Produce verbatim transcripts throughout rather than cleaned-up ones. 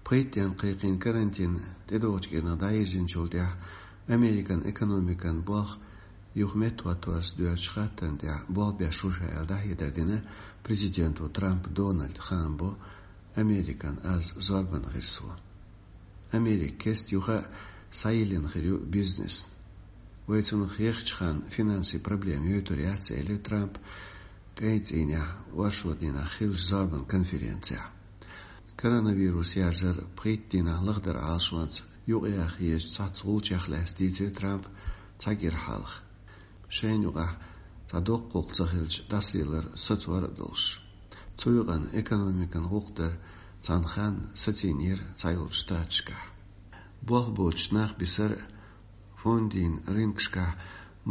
Пхийтта ден кхайкхийна карантин тӀедогӀучу кӀирнах дӀайирзинчул тӀаьхьа Американ экономикан болх юха меттахӀотторца доьрзучу хаттарна тӀехь болх беш ву ша аьлла дӀахьедар дина президенто Трамп Дональда. Хаам бо Американ аз зорбанан гӀирсо. Америка кеста юха а схьайиллина хир ю бизнесна. Вай цунах ехачу ханна финансийн проблема йойтур яц, элира Трампа кӀайн цӀийнехь оршот дийнахь хиллачу зорбанан конференцехь. Коронавирус яржар пхийтта дийнахь лахдар Ӏалашонца юкъаяха езачу цхьацца гӀулчех лаьцна дийцира Трампа цхьа кӀира хьалха. Шайна юкъахь цхьа доккха гӀуллакх ца хилча, дӀасалелар сацор а долуш. Цу юкъана экономикан гӀуллакх дар цхьана ханна сацийнера цхьайолчу штаташкахь. Болх боцуш нах бисар а, фондийн рынкашкахь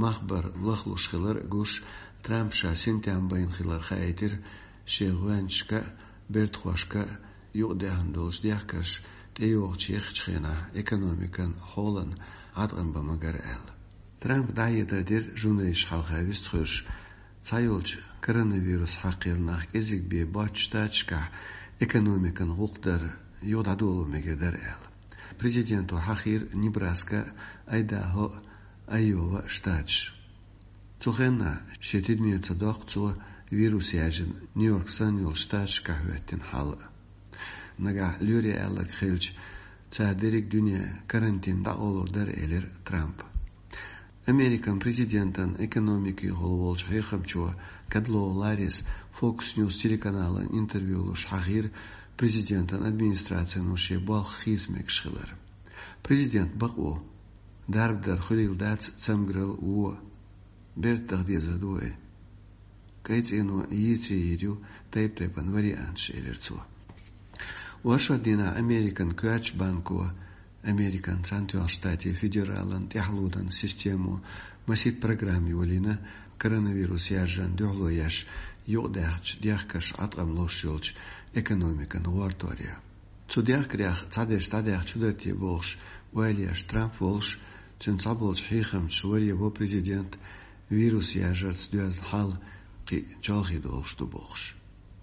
мах бар лахлуш хилар а гуш, Трампа ша синтем байна хилар хаийтира шен гӀоьнчашка а, бертахошка а юкъадаьхна долчу дехкарша тӀейогӀучу ехачу хенахь экономикан хьолан Ӏаткъам бан магар аьлла. Трампа дӀахьедар дира журналисташна хьалха вистхуьлуш, цхьайолчу коронавирус хьакхийла нах кӀезиг бен боцчу штаташкахь экономикан гӀуллакх дар юха дӀадоло мегар дара аьлла. Президенто хьахийра Небраска, Айдахо, Айова штаташ. Цу хенахь шен тидамера ца доккху цо вирус яьржина Нью-Йорк санна йолчу штаташкахь хӀоьттина хьал а. Нагахь лоьрийн аьлларг хилча, цара дерриг дуьне карантин дӀакъовлур дара, элира Трампа. Американ президентан экономикехула волчу хьехамчо Кадлоу Ларрис Fox News телеканалан интервью луш хьахийра президентан администрацино шен болх хийца мегаш хилар. Президент бакъ ву, дарба дар хуьлийла дац, цамгарал а, вон а. Бертахь дезар ду вай. КӀайн цӀийно йийцаре йийр ю тайп-тайпана варианташ, элира цо. Оршот дийнахь Американ коьртачу банко, Американ Цхьаьнатоьхначу Штатийн федералан тӀаьхьалонан системо масийтта программа йолийна коронавирус яьржарна дуьхьало еш юкъадаьхначу дехкарша Ӏаткъам луш йолчу экономикан гӀортор ян. Цу дехкарех цхьадерш дӀадаьхна чу дара те бохуш ойла еш Трамп волуш, цуьнан цхьаболчу хьехамчаша варе бо президент вирус яьржарца доьзна хьал кхин а чолхе долуш ду бохуш.